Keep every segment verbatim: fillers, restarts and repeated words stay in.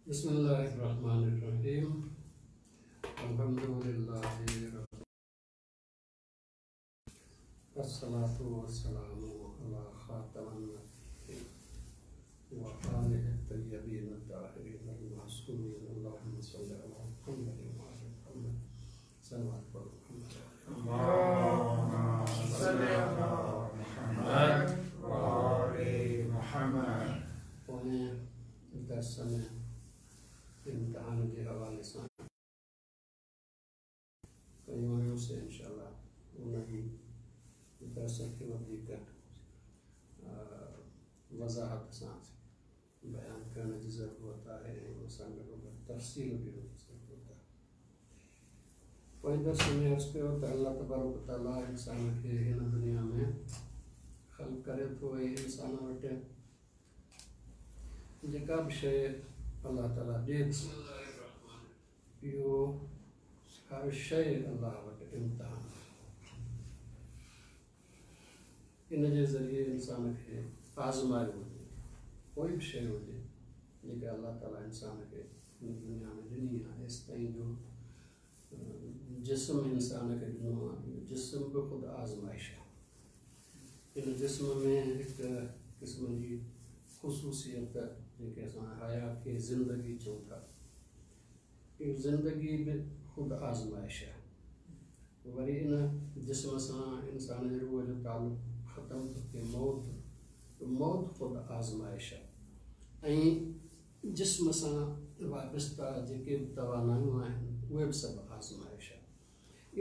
बिस्मिल्लाहिर्रहमानिर्रहीम। अल्हम्दुलिल्लाहि अस्सलातु वस्सलामु अला खातमन नबिय्यीन व आलिहि तय्यबीन अत्ताहिरीन अल-मासूमीन। अल्लाहुम्मा सल्लि अला मुहम्मद व आलि मुहम्मद। सल्लल्लाहु अला मुहम्मद व आलि मुहम्मद। पोएं दर्स में इम्तिहान जे हवाले सां कयूं हुयूंसीं। इंशाअल्लाह उन ई दर्स खे वधीक वज़ाहत सां बयान करण जी ज़रूरत आहे ऐं उन सां गॾोगॾु तफ़सील बि हुन जी ज़रूरत आहे। पोएं दर्स में अर्ज़ु कयो त अलाह तबारक तआला इंसान खे हिन दुनिया में ख़ल्क़ करे थो ऐं इंसान वटि जेका बि शइ अलाह ताला ॾिए थो, इहो हर शइ अलाह वटि इम्तिहान आहे। इन जे ज़रिए इंसान खे आज़मायो वञे थो। कोई बि शइ हुजे जेका अलाह ताला इंसान खे हिन दुनिया में ॾिनी आहे, हेसि ताईं जो जिस्म इंसान खे ॾिनो आहे, इहो जिस्म बि ख़ुदि आज़माइश आहे। इन जिस्म में हिकु क़िस्म जी ख़ुसूसियत जेके असां हयात खे ज़िंदगी चऊं था, इहो ज़िंदगी बि ख़ुदि आज़माइश आहे। वरी इन जिस्म सां इंसान जे रूह जो तालुक़ ख़तमु थो थिए, मौत मौत ख़ुदि आज़माइश आहे। ऐं जिस्म सां वाबिस्ता जेके बि तवानाइयूं आहिनि उहे बि सभु आज़माइश आहे।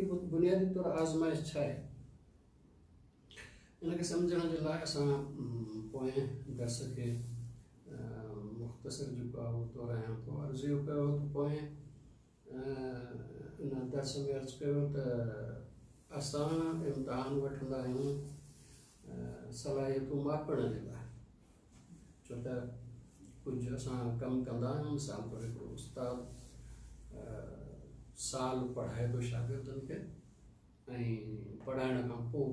इहो बुनियादी तौरु आज़माइश छा आहे, इनखे सम्झण जे लाइ असां पोएं दर्स खे मुख़्तसिर जेको आहे उहो दोहरायां थो। अर्ज़ु इहो कयो त पोएं इन दर्स में अर्ज़ु कयो त असां इम्तिहान वठंदा आहियूं सलाहियतूं मापण जे लाइ, छो त कुझु असां कमु कंदा आहियूं। मिसाल तौरु हिकिड़ो उस्ताद साल पढ़ाए थो शागिर्दनि खे ऐं पढ़ाइण खां पोइ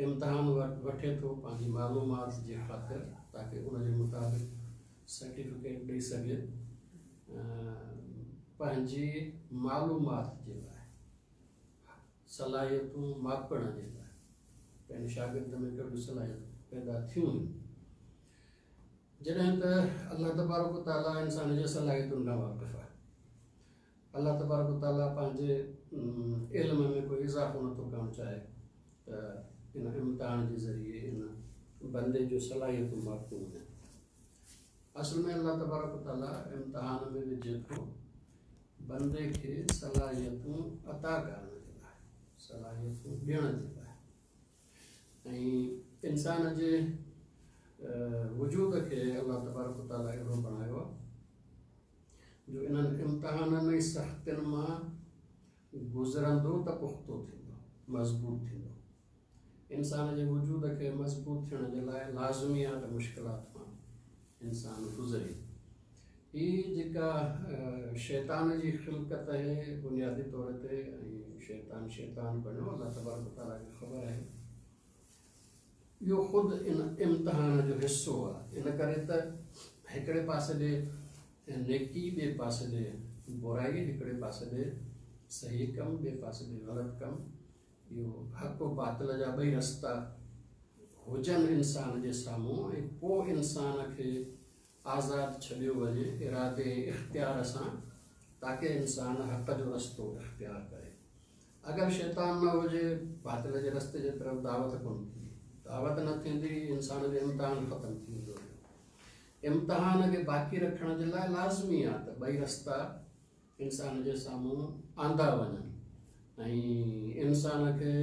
इम्तिहान वठे थो पंहिंजी मालूमात जे ख़ातिर, ताकि उनजे मुताबिक़ सर्टिफिकेट ॾेई सघे पंहिंजी मालूमात जे लाइ, सलाहियतूं मापण जे लाइ पंहिंजे शागिर्द में कहिड़ियूं सलाहियतूं पैदा थियूं आहिनि। जॾहिं त अलाह तबारक तआला इंसान जे सलाहियतुनि खां वाक़िफ़ आहे। अलाह तबारक तआला पंहिंजे इल्म में कोई इज़ाफ़ो नथो करणु चाहे त इन इम्तिहान जे ज़रिए इन बंदे जो सलाहियतूं मापियूं वञनि। असल में अलाह तबारक तआला इम्तिहान में विझे थो बंदे खे सलाहियतूं अता करण जे लाइ, सलाहियतूं ॾियण जे लाइ ऐं इंसान जे वजूद खे अलाह तबारक तआला अहिड़ो बणायो आहे जो इन्हनि इम्तिहाननि ऐं सख़्तियुनि मां गुज़रंदो त पुख़्तो थींदो, मज़बूत थींदो। इंसान जे वजूद खे मज़बूत थियण जे लाइ लाज़मी आहे त मुश्किलात मां इंसान गुज़रे। हीअ जेका शैतान जी ख़िलकत आहे बुनियादी तौर ते, ऐं शैतान शैतान बणियो, अलाह तबारक तआला खे ख़बर आहे। इहो ख़ुदि इन इम्तिहान जो हिसो आहे। इन करे त हिकिड़े पासे ॾे नेकी, ॿिए पासे ॾे बुराई, हिकिड़े पासे ॾे सही कमु, ॿिए पासे ॾे ग़लति कमु। इहो हक़ बातिल जा ॿई रस्ता हुजनि इंसान जे साम्हूं ऐं पोइ इंसान खे आज़ादु छॾियो वञे इरादे इख़्तियार सां, ताकि इंसान हक़ जो रस्तो इख़्तियार करे। अगरि शैतान न हुजे, बातिल जे रस्ते जे तरफ़ दावत कोन थींदी, दावत न थींदी, इंसान जो इम्तिहान ख़तमु थी वेंदो। इम्तिहान खे बाक़ी रखण जे लाइ लाज़मी आहे त ॿई रस्ता इंसान जे साम्हूं आंदा वञनि ऐं इंसान खे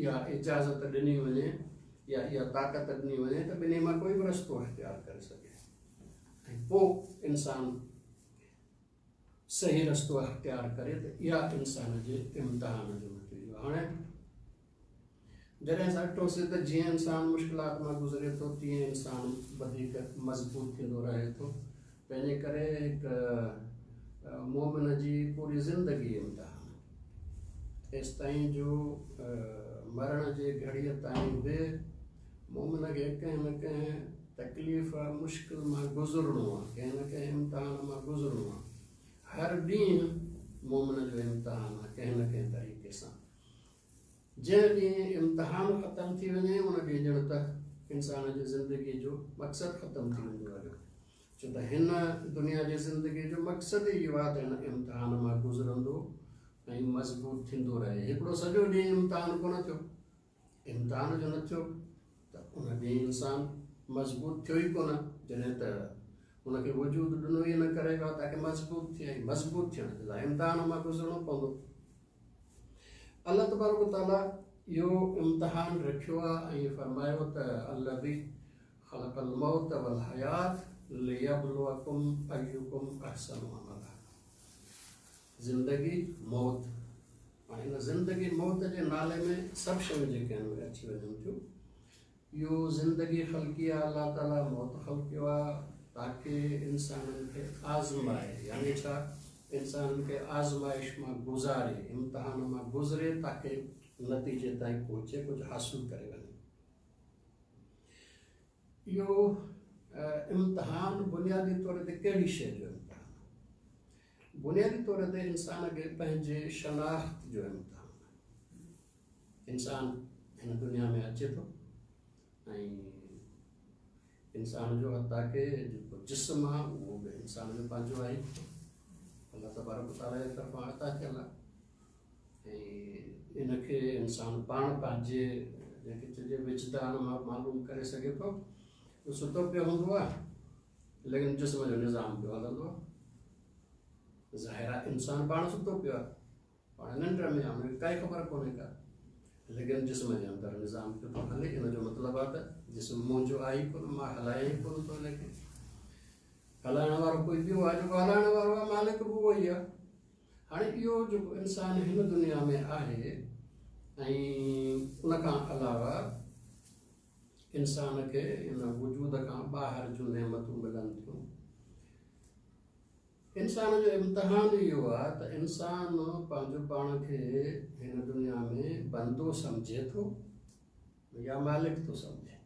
इहा इजाज़त ॾिनी वञे या इहा ताक़त ॾिनी वञे त ॿिन्ही मां कोई बि रस्तो इख़्तियार करे सघे ऐं पोइ इंसान सही रस्तो अख़्तियार करे त इहा इंसान जे इम्तिहान जो नतीजो। हाणे जॾहिं असां ॾिठोसीं त जीअं इंसान मुश्किलात मां गुज़रे थो तीअं इंसान वधीक मज़बूत थींदो रहे थो। तंहिंजे करे हिकु मोमिन जी पूरी ज़िंदगी इम्तिहान, तेसि ताईं जो मरण जे घड़ीअ ताईं बि मोमिन खे कंहिं न कंहिं तकलीफ़ मुश्किल मां गुज़रणो आहे, कंहिं न कंहिं इम्तिहान मां गुज़रणो आहे। हर ॾींहुं मोमिन जो इम्तिहान आहे कंहिं न कंहिं तरीक़े सां। जंहिं ॾींहुं इम्तिहान ख़तमु थी वञे उन ॾींहुं ॼण त इंसान जी ज़िंदगी जो मक़सदु ख़तमु थी वेंदो आहे। छो त हिन दुनिया जी ज़िंदगी जो मक़सदु ई इहो आहे त हिन इम्तिहान मां गुज़रंदो ऐं मज़बूत थींदो रहे। हिकिड़ो सॼो ॾींहुं इम्तिहान कोन थियो, इम्तिहान जो न थियो त उन ॾींहुं इंसान मज़बूत थियो ई कोन। जॾहिं त हुनखे वजूदु ॾिनो ई इन करे वियो आहे ताकि मज़बूत थिए, ऐं मज़बूत थियण जे लाइ इम्तिहान मां गुज़रणो पवंदो। अलाह तबारक ताला इहो इम्तिहान रखियो आहे ऐं फरमायो त अल्लज़ी खलक़ल मौत वल हयात लियबलुवकुम अय्युकुम अहसनु अमला। ज़िंदगी मौत, हाणे हिन ज़िंदगी मौत जे नाले में सभु शयूं जेके आहिनि उहे अची वञनि थियूं। इहो ज़िंदगी ख़लकी आहे अलाह ताला, मौत ख़लकियो आहे ताकि इंसाननि खे आज़माए, यानी छा इंसाननि खे आज़माइश मां गुज़ारे, इम्तिहान मां गुज़रे ताकि नतीजे ताईं पहुचे, कुझु हासिल करे वञे। इहो इम्तिहान बुनियादी तौर ते कहिड़ी शइ जो इम्तिहान? बुनियादी तौर ते इंसान खे पंहिंजे शनाख़्त जो इम्तिहान। इंसान हिन दुनिया में अचे थो ऐं इंसान जो हता के जेको जिस्म आहे उहो बि इंसान जो पंहिंजो आहे, अलाह तबारक ताला जे तरफ़ां अता थियल आहे ऐं इनखे इंसान पाण पंहिंजे जेके चइजे विजदान मां मालूम करे सघे थो। सुतो पियो हूंदो आहे लेकिन जिस्म जो निज़ाम पियो हलंदो आहे। ज़ाहिर आहे इंसान पाण सुतो पियो आहे, पाण निंड में आहे, हुनखे काई ख़बर कोन्हे का, लेकिन जिस्म जे अंदरि निज़ाम पियो थो हले। इन जो मतिलबु आहे त जिस्म मुंहिंजो आहे ई कोन, मां हलायां ई कोन थो, लेकिन हलाइण वारो कोई ॿियो आहे, जेको हलाइण वारो आहे मालिक बि उहो ई आहे। हाणे इहो जेको इंसान हिन दुनिया में आहे ऐं उन खां अलावा इंसान खे इन वजूद खां ॿाहिरि जूं नेमतूं मिलनि थियूं। इंसान जो इम्तिहान इहो आहे त इंसान पंहिंजो पाण खे हिन दुनिया में बंदो सम्झे थो या मालिक थो सम्झे।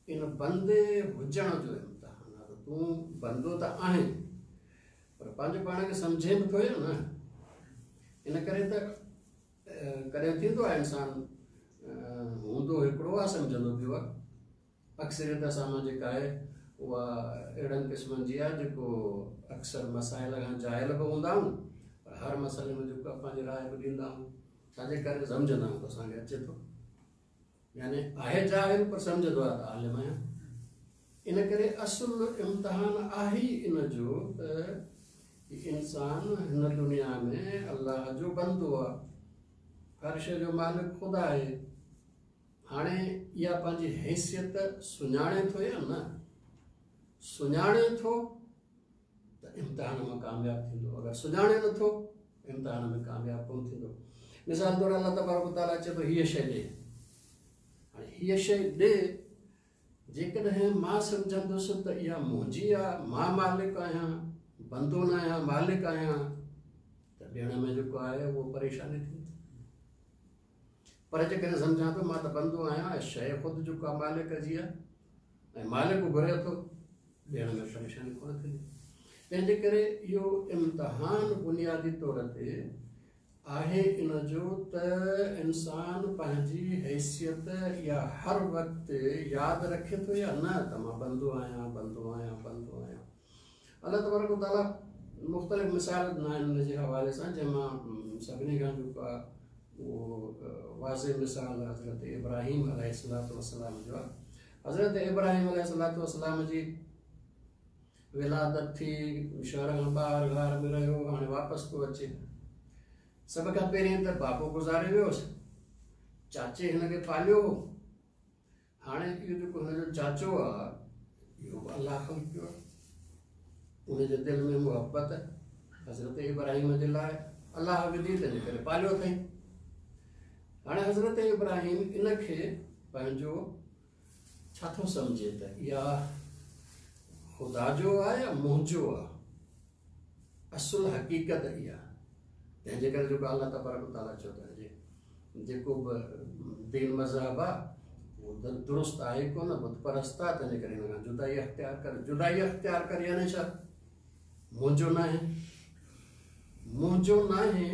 इन बंदे हुजण जो इम्तिहान आहे त तूं बंदो त आहीं पर पंहिंजो पाण खे सम्झे बि थो या न। इन करे त कॾहिं थींदो आहे इंसान हूंदो हिकिड़ो आहे, सम्झंदो ॿियो आहे। अक्सरियत असां मां जेका आहे उहा अहिड़नि क़िस्मनि जी आहे जेको अक्सर मसाइल खां जाहिल बि हूंदा आहियूं पर हर मसइले में जेको पंहिंजी राय बि ॾींदा आहियूं, छाजे करे सम्झंदा आहियूं त असांखे अचे थो, यानी आहे जाहिल पर सम्झंदो आहे त आलिम आहियां। इन करे असुलु इम्तिहान आहे ई इन जो त इंसान हिन दुनिया में अलाह जो बंदो आहे, हर शइ जो मालिक ख़ुदा आहे। हाणे इहा पंहिंजी हैसियत सुञाणे थो या न सुञाणे थो त इम्तिहान मां कामयाबु थींदो, अगरि सुञाणे नथो इम्तिहान में कामयाबु कोन थींदो। मिसाल तौरु अलाह तबारक ताला चए थो हीअ शइ ॾे, हाणे हीअ शइ ॾे, जेकॾहिं मां सम्झंदुसि त इहा मुंहिंजी आहे, मां मालिक आहियां, बंदो न आहियां, मालिक आहियां, त ॾियण में जेको आहे उहो परेशानी थींदी। पर जेकॾहिं सम्झां थो मां त बंदो आहियां ऐं शइ ख़ुदि जेको आहे मालिक जी आहे ऐं मालिक घुरे थो, ॾियण में परेशानी कोन थींदी। तंहिंजे करे इहो इम्तिहान बुनियादी तौर ते आहे इन जो त इंसान पंहिंजी हैसियत या हर वक़्तु यादि रखे थो या न त मां बंदो आहियां, बंदो आहियां, बंदो आहियां। अलाह तबारक ताला मुख़्तलिफ़ मिसाल ॾिना आहिनि हुन जे हवाले सां, जंहिंमां सभिनी खां जेको आहे उहो वाज़े मिसाल हज़रत इब्राहिम अलैहिस्सलातु वस्सलाम जो आहे। हज़रत इब्राहिम अलैहिस्सलातु वस्सलाम जी विलादत थी, शहर खां ॿाहिरि घार में रहियो, हाणे वापसि थो अचे। सभ खां पहिरीं त बाबो गुज़ारे वियोसि, चाचे हिनखे पालियो हो। हाणे इहो जेको हुनजो चाचो आहे इहो बि अलाह ख़लकियो आहे, उनजे दिलि में मुहबत हज़रत इब्राहिम जे लाइ अलाह विधी, तंहिंजे करे पालियो अथई। हाणे हज़रत इब्राहिम इनखे पंहिंजो छा थो सम्झे त इहा ख़ुदा जो आहे या मुंहिंजो आहे, असुलु हक़ीक़त इहा। तंहिंजे करे जेको अलाह तबारक ताला चयो त जेको बि दीन मज़हब आहे उहो दुरुस्त आहे कोन, बुत परस्त आहे, तंहिंजे करे हिन खां जुदाई अख़्तियार कर। जुदाई अख़्तियार कर यानी छा? मुंहिंजो नाहे, मुंहिंजो नाहे।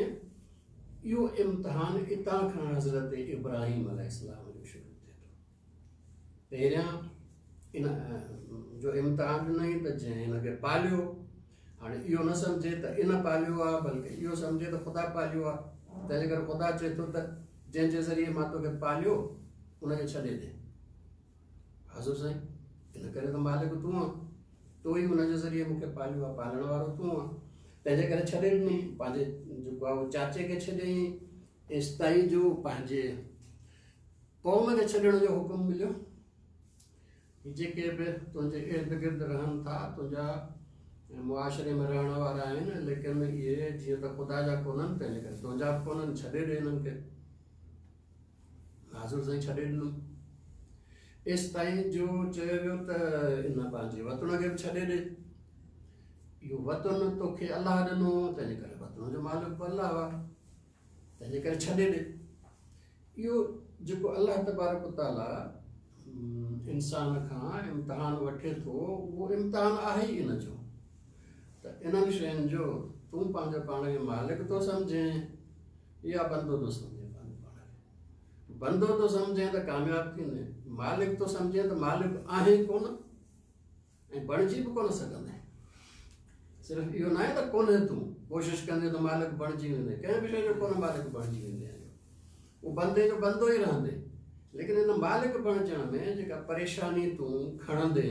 इहो इम्तिहान इतां खां हज़रत इब्राहिम अलैहिस्सलाम जो शुरू थिए थो। पहिरियां इन जो इम्तिहान ॾिनई त जंहिं हिनखे पालियो, हाणे इहो न सम्झे त इन पालियो आहे, बल्कि इहो सम्झे त ख़ुदा पालियो आहे। तंहिंजे करे ख़ुदा चए थो त जंहिंजे ज़रिए मां तोखे पालियो उनखे छॾे ॾे। हज़ूर साईं, इन करे त मालिक तूं आहीं, तो ई हुनजे ज़रिए मूंखे पालियो आहे, पालण वारो तूं आहीं, तंहिंजे करे छॾे ॾिनई। पंहिंजे जेको आहे उहो चाचे खे छॾियईं, एसि ताईं जो पंहिंजे क़ौम खे छॾण जो हुकुम मिलियो। जेके बि तुंहिंजे इर्द गिर्द रहनि था, तुंहिंजा मुआशरे में रहण वारा आहिनि, लेकिन इहे जीअं त ख़ुदा जा कोन्हनि, तंहिंजे करे तुंहिंजा बि कोन्हनि, छॾे ॾे हिननि खे। हज़ूर साईं छॾे ॾिनो। एसि ताईं जो चयो वियो त इन पंहिंजे वतन खे बि छॾे ॾे। इहो वतन तोखे अलाह ॾिनो, तंहिंजे करे वतन जो मालिक बि अलाह आहे, तंहिंजे करे छॾे ॾे। इहो जेको अलाह तबारक ताला इंसान खां इम्तिहान वठे थो, उहो इम्तिहान आहे ई इन जो। त इन्हनि शयुनि जो तूं पंहिंजो पाण खे मालिक थो सम्झे या बंदो थो सम्झे? पंहिंजो पाण खे बंदो थो सम्झे त कामयाबु थींदे, मालिक थो सम्झे त मालिक आहे कोन ऐं बणिजी बि कोन सघंदे। सिर्फ़ु इहो न आहे त कोन्हे, तूं कोशिशि कंदे त मालिक बणिजी वेंदे, कंहिं बि शइ जो कोन मालिक बणिजी वेंदे आहियो, उहो बंदे जो बंदो ई रहंदे। लेकिन इन मालिक बणिजण में जेका परेशानी तूं खणंदे,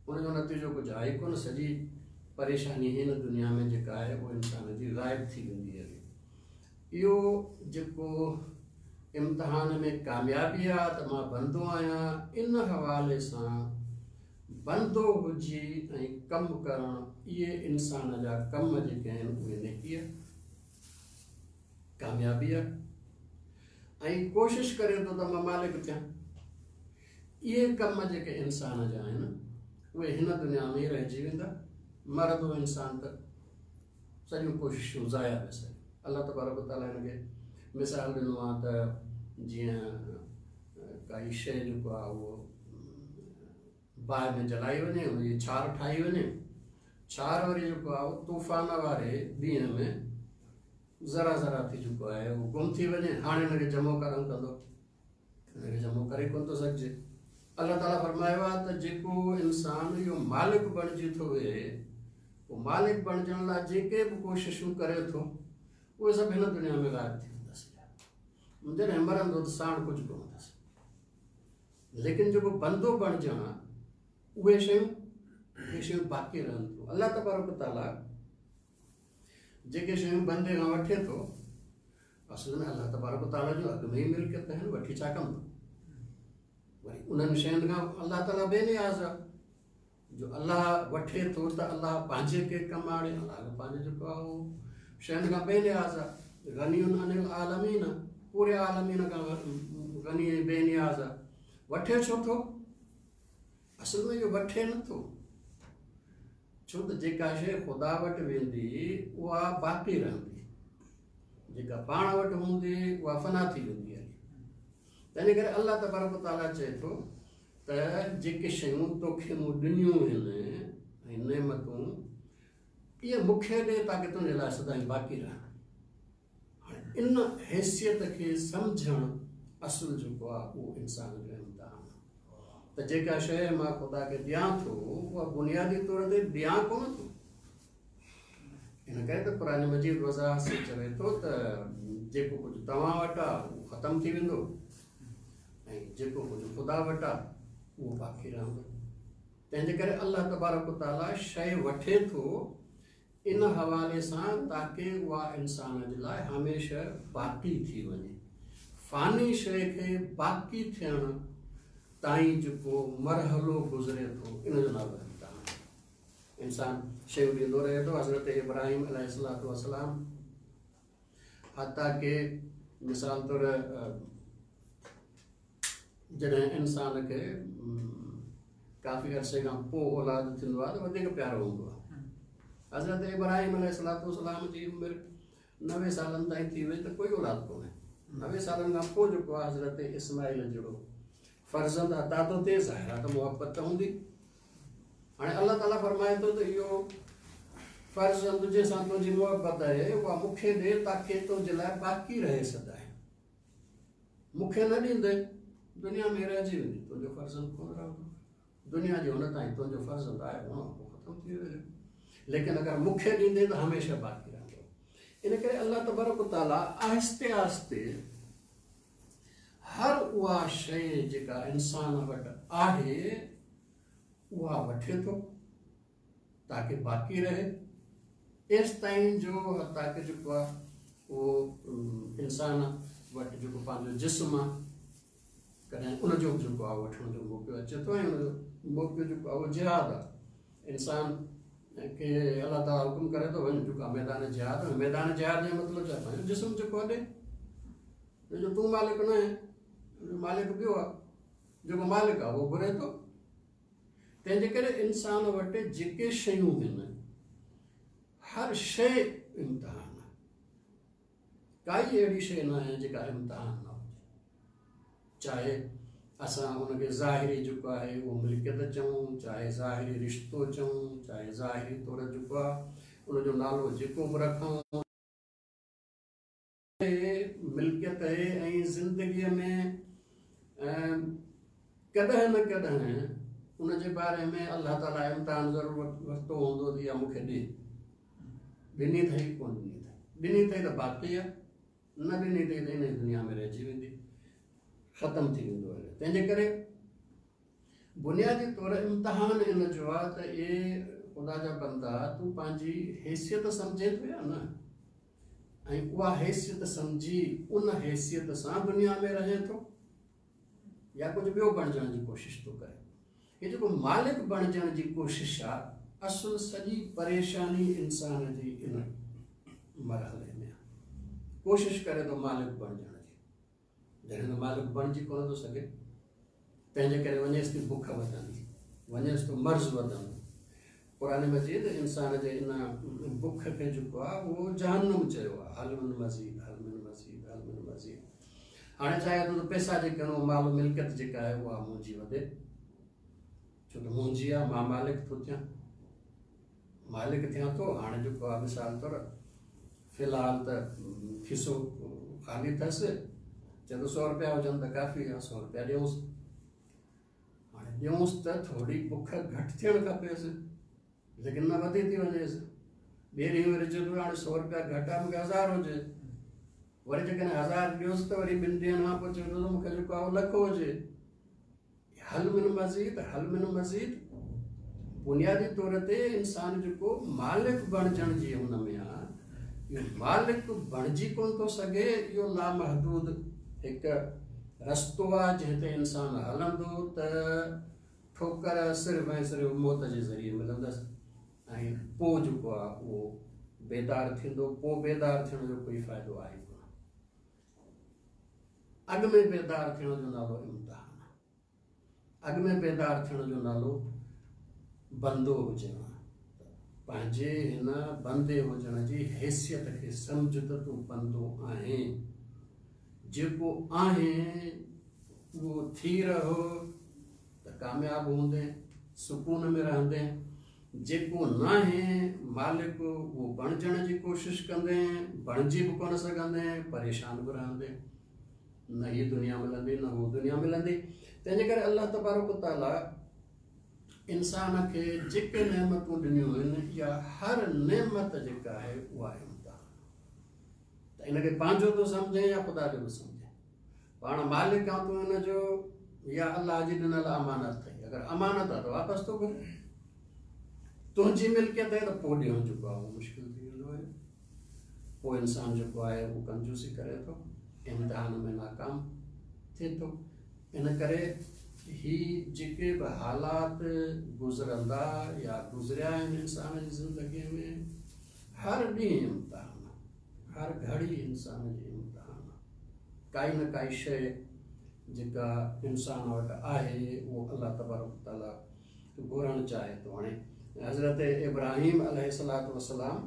उनजो नतीजो कुझु आहे ई कोन। सॼी परेशानी हिन दुनिया में जेका आहे उहो इंसान जी ग़ाइब थी वेंदी आहे। इहो जेको इम्तिहान में कामयाबी आहे त मां बंदो आहियां, इन हवाले सां बंदो हुजी ऐं कमु करणु, इहे इंसान जा कम जेके आहिनि उहे नेकी आहे, कामयाबी आहे। ऐं कोशिशि करे थो त मां मालिक थियां, इहे कम जेके इंसान जा आहिनि उहे हिन दुनिया में ई रहिजी वेंदा। मरंदो इंसान त सॼियूं कोशिशूं ज़ाया वियसि। अलाह तबारक ताला हिनखे मिसाल ॾिनो आहे त जीअं काई शइ जेको आहे उहो बाहि में जलाई वञे, हुनजी छार ठाही वञे, छार वरी जेको आहे उहो तूफ़ान वारे ॾींहं में ज़रा ज़रा थी चुको आहे, उहो गुम थी वञे। हाणे हिनखे जमो करणु कंदो, हिनखे जमो करे कोन थो सघिजे। अलाह ताला फ़रमायो आहे त जेको इंसान इहो मालिक बणिजी थो वेहे, उहो मालिक बणिजण लाइ जेके बि कोशिशूं करे थो उहे सभु हिन दुनिया में ग़ाइब थी वेंदसि। जॾहिं मरंदो त साण कुझु कोन अथसि। लेकिन जेको बंदो बणिजण आहे, उहे शयूं उहे शयूं बाक़ी रहनि थियूं। अलाह तबारक ताला जेके शयूं बंदे खां वठे थो, असल में अलाह तबारक ताला जो अॻु में ई मिल्कियत आहिनि, वठी छा कंदो? वरी उन्हनि शयुनि खां अलाह ताला बेनियाज़ आहे। जो अलाह वठे थो त अलाह पंहिंजे खे कमु आणे, अलाह पंहिंजे जेको आहे उहो शयुनि खां बेनियाज़ आहे। गनी अनिल आलमीन, पूरे आलमीन खां गनी ऐं बेनियाज़ आहे। वठे छो थो? असल में इहो वठे नथो, छो त जेका शइ ख़ुदा वटि वेंदी उहा बाक़ी रहंदी, जेका पाण वटि हूंदी उहा फना थी वेंदी आहे। तंहिंजे करे अलाह तबारक ताला चए थो त जेके शयूं तोखे मूं ॾिनियूं आहिनि ऐं नेमतूं, इहे मूंखे ॾे ताकी तुंहिंजे लाइ सदाईं बाक़ी रहनि। हाणे इन हैसियत खे सम्झणु असुलु जेको आहे उहो इंसान जो इम्तिहान आहे। त जेका शइ मां ख़ुदा खे ॾियां थो उहा बुनियादी तौर ते ॾियां कोन थो। इन करे त क़ुरान मजीद वज़ाहत सां चवे थो त जेको कुझु तव्हां वटि आहे उहो ख़तमु थी वेंदो ऐं जेको कुझु ख़ुदा वटि आहे उहो बाक़ी रहंदो। तंहिंजे करे अलाह तबारक ताला शइ वठे थो इन हवाले सां ताकी उहा इंसान जे लाइ हमेशह बाक़ी थी वञे। फ़ानी शइ खे बाक़ी थियण ताईं जेको मरहलो गुज़रे थो, इन जो नालो इम्तिहान। इंसान शयूं ॾींदो रहे थो। हज़रत इब्राहिम अलैहिस्सलातु वस्सलाम हता के मिसाल तौरु जॾहिं इंसान खे काफ़ी अरसे खां पोइ औलाद थींदो आहे त वधीक प्यारो हूंदो आहे। हज़रत इब्राहिम अलैहिस्सलातु वस्सलाम जी उमिरि नवे सालनि ताईं थी वई त कोई औलाद कोन्हे। नवे सालनि खां पोइ जेको आहे हज़रत इस्माइल जहिड़ो فرزند عطا ٿو ٿئي، ظاهر آهي ته محبت ته هوندي. هاڻي الله تعاليٰ فرمائي ٿو ته اهو فرزند جنهن سان تنهنجي محبت آهي اها مون کي ڏي تاڪه تنهنجي لاءِ باقي رهي سدائين. مون کي نه ڏيندي دنيا ۾ رهجي ويندي، تنهنجو فرزند ڪونه رهندو. دنيا جي هن تائين تنهنجو فرزند آهي هن پوءِ ختم ٿي ويو، ليڪن اگر مون کي ڏيندي ته هميشه باقي رهندو. ان ڪري الله تبارڪ تعاليٰ آهستي آهستي هر اها شيءِ جيڪا انسان وٽ آهي اها وٺي ٿو تاڪه باقي رهي، ايس تائين جو تاڪه جيڪو آهي اهو انسان وٽ جيڪو پنهنجو جسم آهي ڪڏهن ان جو به جيڪو آهي وٺڻ جو موقعو اچي ٿو ۽ ان جو موقعو جيڪو آهي اهو جهاد آهي. انسان کي الله تعاليٰ حڪم ڪري ٿو وڃ جيڪو آهي ميدان جهاد ۾. ميدان جهاد جو مطلب ڇا؟ پنهنجو جسم جيڪو آهي ڏي، جو تون مالڪ نه آهين، مالڪ ٻيو آهي، جيڪو مالڪ آهي اهو گهري ٿو. تنهن جي ڪري انسان وٽ جيڪي شيون آهن هر شيءِ امتحان آهي، ڪائي اهڙي شيءِ نه آهي جيڪا امتحان نه هجي. چاهي اسان هن کي ظاهري جيڪو آهي اهو ملڪيت چئون، چاهي ظاهري رشتو چئون، چاهي ظاهري طور جيڪو آهي ان جو نالو جيڪو به رکون، ملڪيت آهي ۽ زندگيءَ ۾ ڪڏهن نه ڪڏهن ان جي باري ۾ الله تعاليٰ امتحان ضرور ورتو هوندو ته اها مون کي ڏي. ڏني اٿئي ڪونه ڏني اٿئي؟ ڏني اٿئي ته باقي آهي، نه ڏني اٿئي ته ان دنيا ۾ رهجي ويندي، ختم ٿي ويندو آهي. تنهن جي ڪري بنيادي طور امتحان ان جو آهي ته اهي خدا جا بندا تون پنهنجي حيثيت سمجهي ٿو يا نه، ۽ اها حيثيت سمجهي ان حيثيت سان دنيا ۾ رهي ٿو يا ڪجهه ٻيو بڻجڻ جي ڪوشش ٿو ڪري. هيءَ جيڪو مالڪ بڻجڻ جي ڪوشش آهي اصل سڄي پريشاني انسان جي ان مرحلي ۾ آهي. ڪوشش ڪري ٿو مالڪ بڻجڻ جي، جڏهن ته مالڪ بڻجي ڪونه ٿو سگهي، تنهن جي ڪري وڃيس ٿي بک وڌندي، وڃيس ٿو مرض وڌندو. قرآن مجيد انسان جي ان بک کي جيڪو آهي اهو جهنم چيو آهي، هل من مزيد، هل من مزيد، هل من مزيد. هاڻي چاهي ٿو ته پئسا جيڪي آهن مال ملڪيت جيڪا آهي اها منهنجي وڌي، ڇو ته منهنجي آهي، مان مالڪ ٿو ٿيان، مالڪ ٿيان ٿو. هاڻي جيڪو آهي مثال طور في الحال ته کيسو خالي اٿس، چئي ٿو سؤ رپيا هجن ته ڪافي آهي، سؤ رپيا ڏيونس. هاڻي ڏيونس ته ٿوري بک گهٽ ٿيڻ کپيس، ليڪن نه وڌي ٿي وڃيس. ٻئي ڏينهن وري چئي ٿو هاڻي سؤ رپيا گهٽ آهي، مون کي هزار هجي. وري جيڪڏهن هزار ڏيوس ته وري ٻن ڏينهن کان پوءِ چئي ٿو ته مون کي جيڪو آهي لک هجي. هل من مزيد، هل من مزيد. بنيادي طور تي انسان جيڪو مالڪ بڻجڻ جي هن ۾ آهي، اهو مالڪ بڻجي ڪونه ٿو سگهي. اهو لامحدود هڪ رستو آهي جنهن تي انسان هلندو ته ٺوڪر صرف ۽ صرف موت جي ذريعي ملندس ۽ پوءِ جيڪو آهي اهو بيدار ٿيندو. پوءِ بيدار ٿيڻ جو ڪوئي فائدو آهي ڪونه. اڳ ۾ بيدار ٿيڻ جو نالو امتحان آهي، اڳ ۾ بيدار ٿيڻ جو نالو بندو هجڻ آهي. پنهنجي هن بندي هجڻ جي حيثيت کي سمجهه ته تون بندو آهين، جيڪو آهين اهو ٿي رهو ته ڪامياب هوندي، سڪون ۾ رهندي. جيڪو نه آهي مالڪ اهو بڻجڻ جي ڪوشش ڪندي، بڻجي به ڪونه سگهندي، پريشان به رهندي، نه هيءَ دنيا ملندي نه هو دنيا ملندي. تنهن جي ڪري الله تبارڪ تعاليٰ انسان کي جيڪي نعمتون ڏنيون آهن، اها هر نعمت جيڪا آهي اها امتحان. ته ان کي پنهنجو ٿو سمجهي يا خدا جو ٿو سمجهي؟ پاڻ مالڪ آهي تون هن جو يا الله جي ڏنل امانت اٿئي؟ اگر امانت آهي ته واپس ٿو گهري، تنهنجي ملڪيت آهي ته پوءِ ڏيڻ جيڪو آهي اهو مشڪل ٿي ويندو آهي. پوءِ انسان جيڪو آهي اهو ڪنجوسي ڪري ٿو، امتحان ۾ ناڪام ٿئي ٿو. ان ڪري هي جيڪي به حالات گذرندا يا گذريا آهن انسان جي زندگيءَ ۾ هر ڏينهن امتحان، هر گهڙي انسان جي امتحان. ڪائي نه ڪائي شيءِ جيڪا انسان وٽ آهي اهو الله تبارڪ تعاليٰ گهرڻ چاهي ٿو. هاڻي حضرت ابراهيم عليه الصلوة والسلام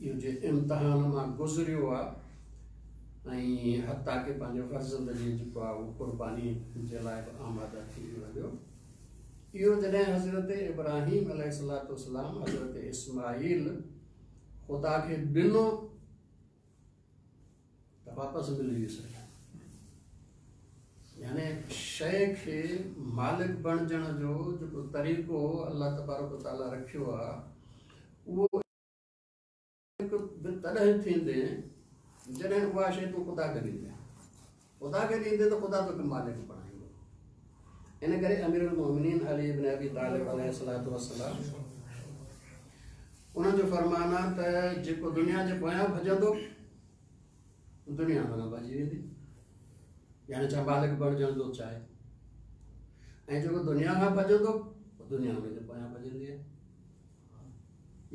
اهو جي امتحان مان گذريو آهي ऐं हता के पंहिंजे फर्ज़ंद जी जेको आहे उहो क़ुर्बानी जे लाइ बि आमादा थी वियो। इहो जॾहिं हज़रत इब्राहिम अलैहिस्सलाम हज़रत इस्माईल ख़ुदा खे ॾिनो त वापसि मिली वियुसि। यानी शइ खे मालिक बणिजण जो जेको तरीक़ो अलाह तबारक ताला रखियो आहे उहो तॾहिं थींदे जॾहिं उहा शइ तूं ख़ुदा खे ॾींदे। ख़ुदा खे ॾींदे त ख़ुदा तोखे मालिक बणाईंदो। इन करे अमीरुल मोमिनीन अली इब्न अबी तालिब अलैहिस्सलातु वस्सलाम उन्हनि जो फरमान आहे त जेको दुनिया जे पोयां भॼंदो दुनिया हुन खां भॼी वेंदी, यानी छा मालिक बणिजण थो चाहे, ऐं जेको दुनिया खां भॼंदो दुनिया हुनजे पोयां भॼंदी आहे।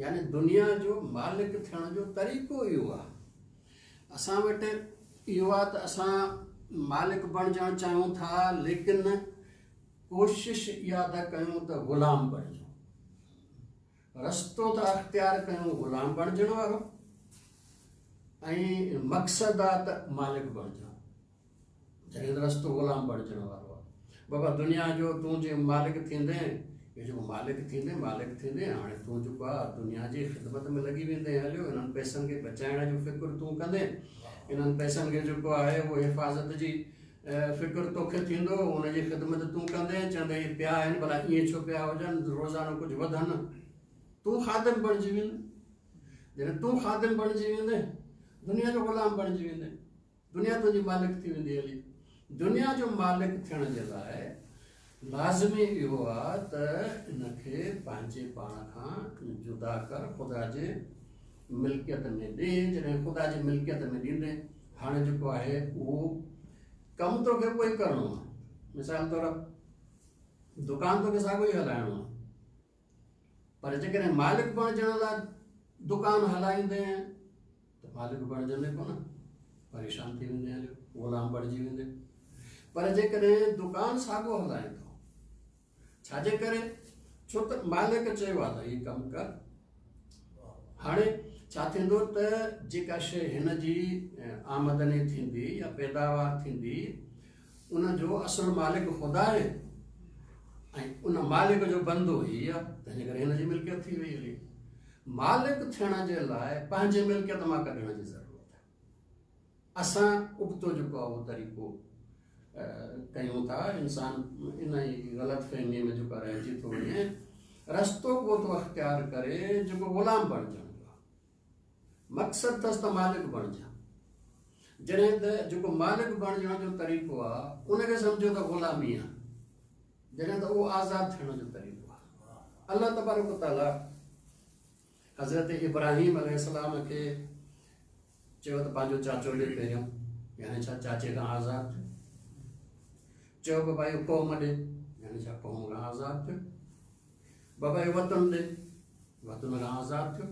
यानी दुनिया जो मालिक थियण जो तरीक़ो इहो आहे। असां वटि इहो आहे त असां मालिक बणिजण चाहियूं था, लेकिन कोशिश इहा था कयूं त ग़ुलाम बणिजूं, रस्तो था अख़्तियार कयूं ग़ुलाम बणिजण वारो, ऐं मक़सदु आहे त मालिक बणिजण। जॾहिं त रस्तो ग़ुलाम बणिजण वारो आहे। बाबा दुनिया जो तूं जे मालिक थींदे, इहो जेको मालिक थींदे मालिक थींदे हाणे तूं जेको आहे दुनिया जी ख़िदमत में लॻी वेंदे हलियो, इन्हनि पैसनि खे बचाइण जो फ़िक्र तूं कंदे, इन्हनि पैसनि खे जेको आहे उहो हिफ़ाज़त जी फ़िक्र तोखे थींदो, उनजी ख़िदमत तूं कंदे, चवंदे इहे पिया आहिनि भला ईअं छो पिया हुजनि, रोज़ानो कुझु वधनि, तूं ख़ादिम बणिजी वेंदे। जॾहिं तूं ख़ादिम बणिजी वेंदे दुनिया जो ग़ुलाम बणिजी वेंदे, दुनिया तुंहिंजी मालिक थी वेंदी हली। दुनिया जो मालिक थियण जे लाइ लाज़मी इहो आहे त इनखे पंहिंजे पाण खां जुदा कर, ख़ुदा जे मिल्कियत में ॾे। जॾहिं ख़ुदा जी मिल्कियत में ॾींदे हाणे जेको आहे उहो कमु तोखे उहो ई करिणो आहे। मिसाल तौरु दुकान तोखे साॻियो ई हलाइणो आहे, पर जेकॾहिं मालिक बणिजण लाइ दुकान हलाईंदे त मालिक बणिजंदे कोन, परेशान थी वेंदे हलियो, ग़ुलाम बणिजी वेंदे। पर जेकॾहिं दुकान साॻियो हलाए थो, छाजे करे? छो त मालिक चयो आहे त हीउ कमु कर। हाणे छा थींदो त जेका शइ हिन जी आमदनी थींदी या पैदावार थींदी उनजो असुलु मालिक ख़ुदा आहे ऐं उन मालिक जो बंदो ई आहे, तंहिंजे करे हिन जी मिल्कियत थी वई हली। मालिक थियण जे लाइ पंहिंजी मिल्कियत मां कढण जी ज़रूरत आहे। असां उबतो जेको आहे उहो तरीक़ो कयूं था, इंसान इन ई ग़लति फ़हमीअ में जेको रहिजी थो वञे, रस्तो को थो अख़्तियार करे जेको ग़ुलाम बणिजण जो आहे, मक़सदु अथसि त मालिक बणिजां। जॾहिं त जेको मालिक बणिजण जो तरीक़ो आहे उनखे सम्झो त ग़ुलामी आहे, जॾहिं त उहो आज़ाद थियण जो तरीक़ो आहे। अलाह तबारक ताला हज़रत इब्राहिम अलैहिस्सलाम खे चयो त पंहिंजो चाचो ॾे पहिरियों, यानी छा चाचे खां आज़ाद थियो। चयो बाबा इहो क़ौम ॾे, यानी छा क़ौम खां आज़ाद थियो। बाबा इहो वतन ॾे, वतन खां आज़ाद थियो।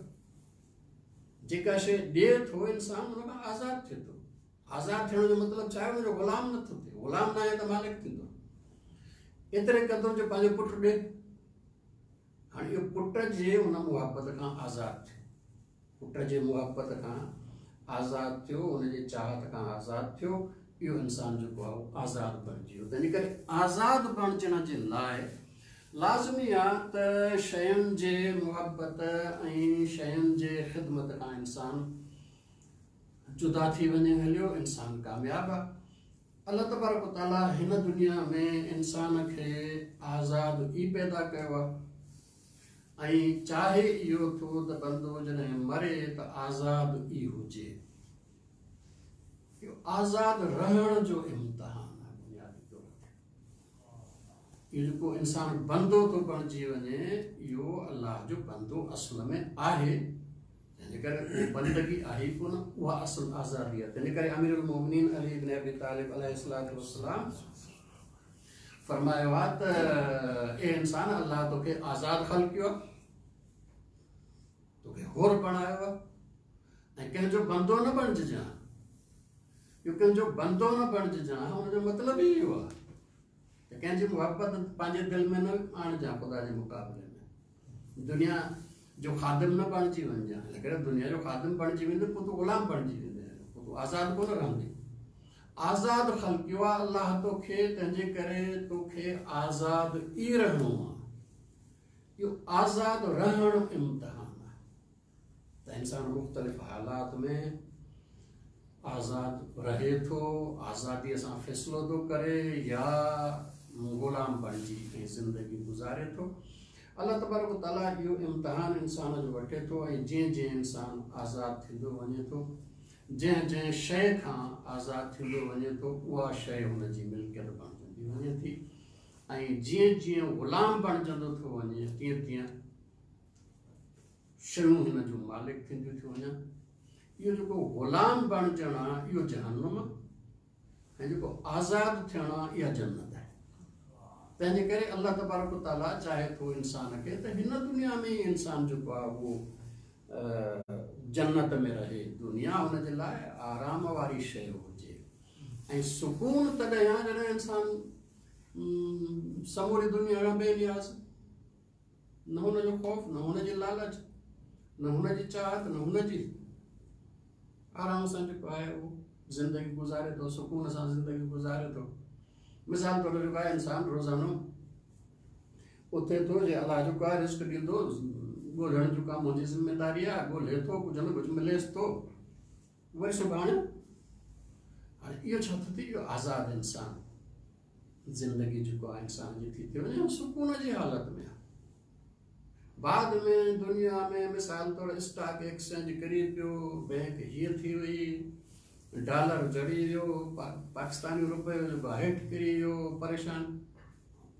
जेका शइ ॾिए थो इंसान हुन खां आज़ाद थिए थो। आज़ाद थियण जो मतिलबु छा आहे? हुनजो ग़ुलाम नथो थिए, ग़ुलाम न आहे त मालिक थींदो। एतिरे क़दुरु जो पंहिंजो पुटु ॾे, हाणे इहो पुट जे हुन मुहबत खां आज़ाद थियो, पुट जे मुहबत खां आज़ाद थियो, हुनजे चाहत खां आज़ाद थियो, इहो इंसान जेको आहे उहो आज़ाद बणिजी वियो। तंहिंजे करे आज़ाद बणिजण जे लाइ लाज़मी आहे त शयुनि जे मुहबत ऐं शयुनि जे ख़िदमत खां इंसान जुदा थी वञे हलियो, इंसान कामयाबु आहे। अलाह तबारक ताला हिन दुनिया में इंसान खे आज़ाद ई पैदा कयो आहे ऐं चाहे इहो थो त बंदो जॾहिं मरे त आज़ाद ई हुजे। इहो आज़ाद रहण जो इम्तिहान आहे बुनियादी तौर ते। इहो जेको इंसान बंदो थो बणिजी वञे इहो अलाह जो बंदो असल में आहे, तंहिंजे करे बंदगी आहे ई कोन, उहा असल आज़ादी आहे। तंहिंजे करे अमीरुल मोमिनीन अली इब्न अबी तालिब अलैहिस्सलातु वस्सलाम फरमायो आहे त ए इंसान, अलाह तोखे आज़ाद ख़लकियो आहे, तोखे हुर बणायो आहे ऐं कंहिंजो बंदो न बणिजां। इहो कंहिंजो बंदो न बणिजां हुनजो मतिलबु ई इहो आहे त कंहिंजी मुहबत पंहिंजे दिलि में न आणिजां ख़ुदा जे मुक़ाबले में, दुनिया जो ख़ादिम न बणिजी वञिजां। लेकिन दुनिया जो ख़ादिम बणिजी वेंदे पोइ तूं ग़ुलाम बणिजी वेंदे, पोइ तूं तूं आज़ादु कोन रहंदी। आज़ाद ख़लकियो आहे अल्लाह तोखे, तंहिंजे करे तोखे आज़ाद ई रहणो आहे। इहो आज़ाद रहणु इम्तिहान आहे त इंसान मुख़्तलिफ़ हालात में आज़ाद रहे थो, आज़ादीअ सां फ़ैसिलो थो करे या ग़ुलाम बणिजी ऐं ज़िंदगी गुज़ारे थो। अल्लाह तबारक तआला इहो इम्तिहान इंसान जो वठे थो ऐं जीअं जीअं इंसान आज़ाद थींदो वञे थो, जंहिं जंहिं शइ खां आज़ाद थींदो वञे थो, उहा शइ हुनजी मिल्कियत बणिजंदी वञे थी ऐं जीअं जीअं ग़ुलाम बणिजंदो थो वञे तीअं तीअं शयूं हिन जूं मालिक थींदियूं थियूं वञनि। इहो जेको ग़ुलाम बणिजणु आहे इहो जहन्नुम आहे ऐं जेको आज़ाद थियणु आहे इहा जन्नत आहे। तंहिंजे करे अल्लाह तबारक तआला चाहे थो इंसान खे त हिन दुनिया में ई इंसान जेको आहे उहो जन्नत में रहे, दुनिया हुनजे लाइ आराम वारी शइ हुजे ऐं सुकून तॾहिं आहे जॾहिं इंसान समूरी दुनिया खां बेनियाज़, न हुनजो ख़ौफ़, न हुनजी लालच, न हुनजी चाहत, न हुनजी, आराम सां जेको आहे उहो ज़िंदगी गुज़ारे थो, सुकून सां ज़िंदगी गुज़ारे थो। मिसाल तौर जेको आहे इंसान रोज़ानो उथे थो, जे अल्लाह जेको आहे रिस्क ॾींदो, ॻोल्हण जो कमु मुंहिंजी ज़िम्मेदारी आहे, ॻोल्हे थो, कुझु न कुझु मिलेसि थो, वरी सुभाणे हाणे इहो छा थो थिए, इहो आज़ाद इंसान ज़िंदगी जेको आहे इंसान जी थी थी वञे सुकून जी हालत में आहे। बाद में दुनिया में मिसाल तौर स्टॉक एक्सचेंज किरी पियो, बैंक हीअं थी वई, डॉलर जड़ी वियो, पा, पाकिस्तानी रुपयो जेको आहे हेठि किरी वियो, परेशान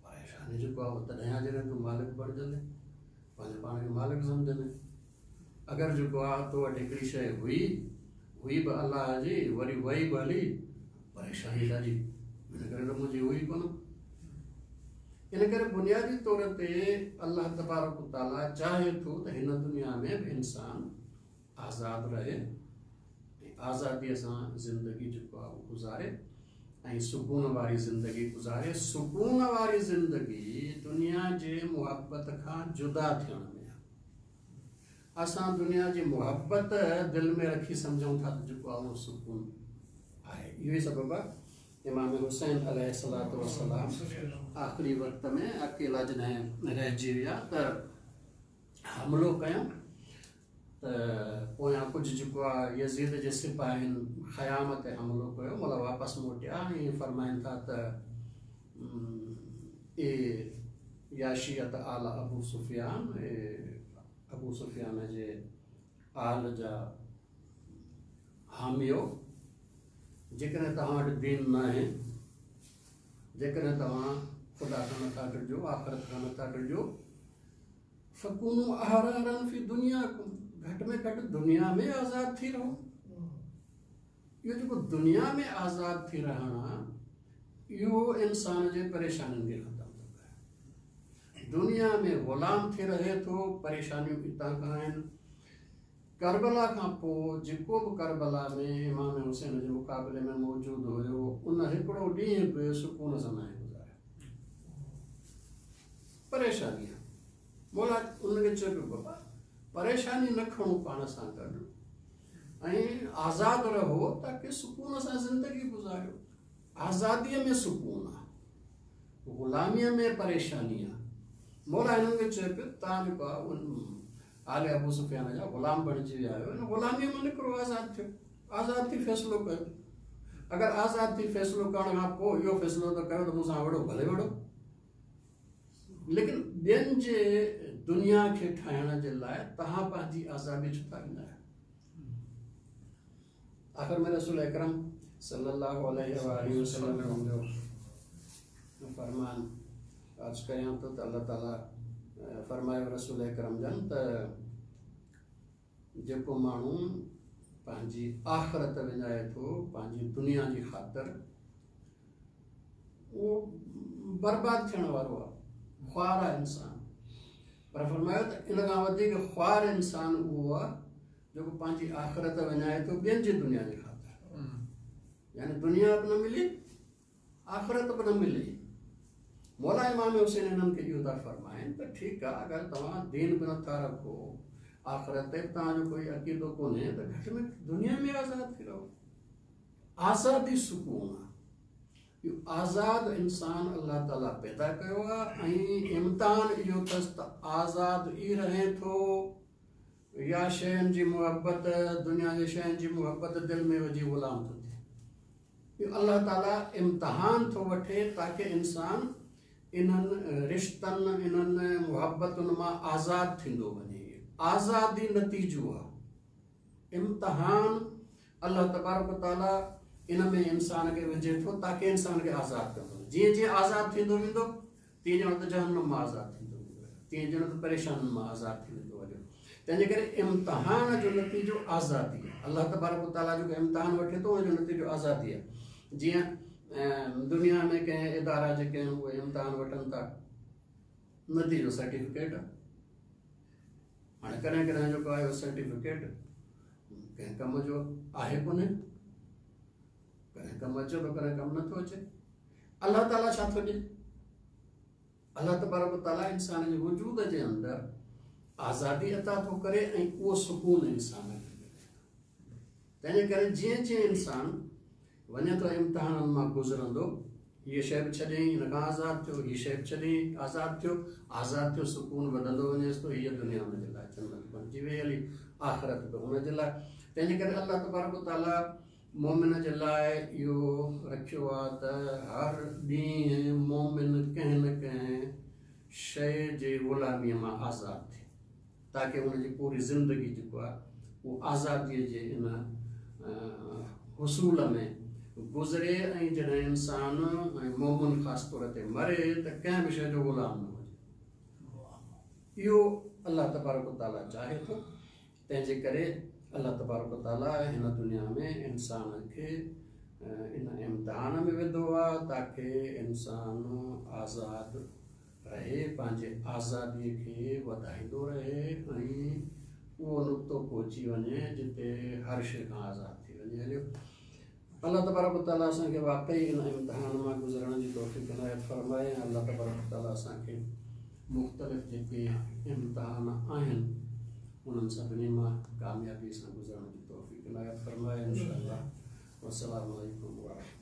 परेशानी जेको आहे उहो तॾहिं आहे जॾहिं तूं मालिक बणिजंदे, पंहिंजे पाण खे मालिक सम्झंदे। अगरि जेको आहे तो वटि हिकिड़ी शइ हुई हुई बि अल्लाह जी, वरी वई बि हली, परेशानी ॾाढी, हिन करे त मुंहिंजी हुई कोन। इन करे बुनियादी तौर ते अल्लाह तबारक तआला चाहे थो त हिन दुनिया में बि इंसान आज़ाद रहे, आज़ादीअ सां ज़िंदगी जेको आहे उहो गुज़ारे ऐं सुकून वारी ज़िंदगी गुज़ारे। सुकून वारी ज़िंदगी दुनिया जे मुहबत खां जुदा थियण में आहे। असां दुनिया जी मुहबत दिलि में रखी सम्झूं था त जेको आहे उहो सुकून आहे। इहो ई सबबु आहे इमाम हुसैन अलैहिस्सलातु वस्सलाम आख़िरी वक़्त में अकेला जॾहिं रहिजी विया त हमलो कयऊं त पोयां कुझु जेको आहे यज़ीद जे सिपाहियुनि ख़याम ते हमलो कयो, मतिलबु वापसि मोटिया ऐं फरमाइनि था त ए या शियत आल अबू सुफियान, ए अबू सुफियान जे आल जा हामियो, जेकॾहिं तव्हां वटि दीन न आहे, जेकॾहिं तव्हां ख़ुदा खां नथा डिॼो, आख़िरत खां नथा डिॼो, फकूनू अहरारन फी दुनिया, घटि में घटि दुनिया में आज़ाद थी रहो। इहो जेको दुनिया में आज़ाद थी रहणु आहे इहो इंसान जे परेशानियुनि खे ख़तमु थो करे। दुनिया में ग़ुलाम थी रहे थो, परेशानियूं हितां खां आहिनि। करबला खां पोइ जेको बि करबला में इमाम हुसैन जे मुक़ाबले में मौजूदु हुयो उन हिकिड़ो ॾींहुं बि सुकून सां नाहे गुज़ारियो, परेशानी आहे। मौला उनखे चयो पियो बाबा परेशानी न खणो पाण सां गॾु ऐं आज़ाद रहो ताकी सुकून सां ज़िंदगी गुज़ारियो। आज़ादीअ में सुकून आहे, ग़ुलामीअ में परेशानी आहे। मौला हिननि खे चयो पियो तव्हां जेको आहे उन आले अबू सुफियान जा ग़ुलाम बणिजी विया आहियो, हिन ग़ुलामीअ मां निकिरो, आज़ाद थियो, आज़ाद थी फ़ैसिलो कयो। अगरि आज़ाद थी फ़ैसिलो करण खां पोइ इहो फ़ैसिलो त कयो त मूंसां वॾो भले वॾो, लेकिन ॿियनि जे दुनिया खे ठाहिण जे लाइ तव्हां पंहिंजी आज़ादी छो था ॾींदा आहियो? आख़िर में रसूल अकरम सल्लल्लाहु अलैहि वसल्लम जो फरमान अर्ज़ कयां थो त अल्लाह ताला फरमायो रसूल अकरम जन त जेको माण्हू पंहिंजी आख़िरत विञाए थो पंहिंजी दुनिया जी ख़ातिर, उहो बर्बाद थियण वारो आहे, ख़्वार आहे इंसान। पर फरमायो त इन खां वधीक ख़्वार इंसान उहो आहे जेको पंहिंजी आख़िरत विञाए थो ॿियनि जी दुनिया जी ख़ातिर, यानी दुनिया बि न मिली आख़िरत बि न मिली। मौला इमाम हुसैन हिननि खे इहो था फरमाइनि त ठीकु आहे, अगरि तव्हां दीन बि नथा रखो, आख़िरत ते बि तव्हांजो कोई अक़ीदो कोन्हे, त घटि में दुनिया में आज़ाद थी रहो। आज़ादी सुकून आहे। इहो आज़ाद इंसान अल्लाह ताला पैदा कयो आहे ऐं इम्तिहान इहो अथसि त आज़ाद ई रहे थो या शयुनि जी मुहबत, दुनिया जे शयुनि जी मुहबत दिलि में विझी ग़ुलाम थो थिए। इहो अल्लाह ताला इम्तिहान थो वठे ताकी इंसान इन्हनि रिश्तनि, इन्हनि मुहबतुनि मां आज़ाद थींदो वञे। आज़ादी नतीजो आहे। इम्तिहान अल्लाह तबारक ताला इन में इंसान खे विझे थो ताकी इंसान खे आज़ाद कंदो। जीअं जीअं आज़ाद थींदो वेंदो तीअं ॼण त जहन्नुम मां आज़ाद थींदो वेंदो, तीअं ॼण त परेशानियुनि मां आज़ाद थी वेंदो हलियो। तंहिंजे करे इम्तिहान जो नतीजो आज़ादी आहे। अल्लाह तबारक ताला जेको इम्तिहान वठे थो उनजो नतीजो आज़ादी आहे। जीअं दुनिया में कंहिं इदारा जेके आहिनि उहे इम्तिहान वठनि था, नतीजो सर्टिफिकेट आहे। हाणे कॾहिं कॾहिं जेको आहे सर्टिफिकेट कंहिं कम जो आहे कोन्हे, कॾहिं कमु अचे थो कॾहिं कमु नथो अचे। अल्लाह ताला छा थो ॾिए? अल्लाह तबारक ताला इंसान जे वजूद जे अंदरि आज़ादी अता थो करे ऐं उहो सुकून इंसान खे मिले थो। तंहिंजे करे जीअं जीअं इंसान वञे थो इम्तिहाननि मां गुज़रंदो, हीअ शइ बि छॾियईं हिन खां आज़ाद थियो, हीअ शइ बि छॾियईं आज़ाद थियो, आज़ाद थियो, सुकून वधंदो वञेसि थो। हीअ दुनिया हुनजे लाइ जन्नत बणिजी वई हली, आख़िरत बि हुनजे लाइ। तंहिंजे करे अल्लाह तबारक ताला मोमिन जे लाइ इहो रखियो आहे त हर ॾींहुं मोमिन कंहिं न कंहिं शइ जे ग़ुलामीअ मां आज़ाद थिए ताकी हुनजी पूरी ज़िंदगी जेको आहे उहो आज़ादीअ जे इन हुसूल में गुज़रे। ऐं जॾहिं इंसान ऐं मोमिन ख़ासि तौर ते मरे त कंहिं बि शइ जो ग़ुलाम न हुजे। इहो अल्लाह तबारक ताला चाहे थो। तंहिंजे करे अल्लाह तबारक ताला हिन दुनिया में इंसान खे इन इम्तिहान में विधो आहे ताकी इंसान आज़ाद रहे, पंहिंजे आज़ादीअ खे वधाईंदो रहे ऐं उहो नुक़्तो पहुची वञे जिते हर शइ खां आज़ाद थी वञे हलियो। अल्लाह तबारक ताला असांखे वाकई इन इम्तिहान मां गुज़रण जी तौफ़ीक़ इनायत फरमाए। अल्लाह तबारक ताला असांखे मुख़्तलिफ़ जेके इम्तिहान आहिनि उन्हनि सभिनी मां कामयाबी सां गुज़रण जी तौफ़ीक़ इनायत फरमाए इंशाअल्लाह। वस्सलामु अलैकुम वरहमतुल्लाह।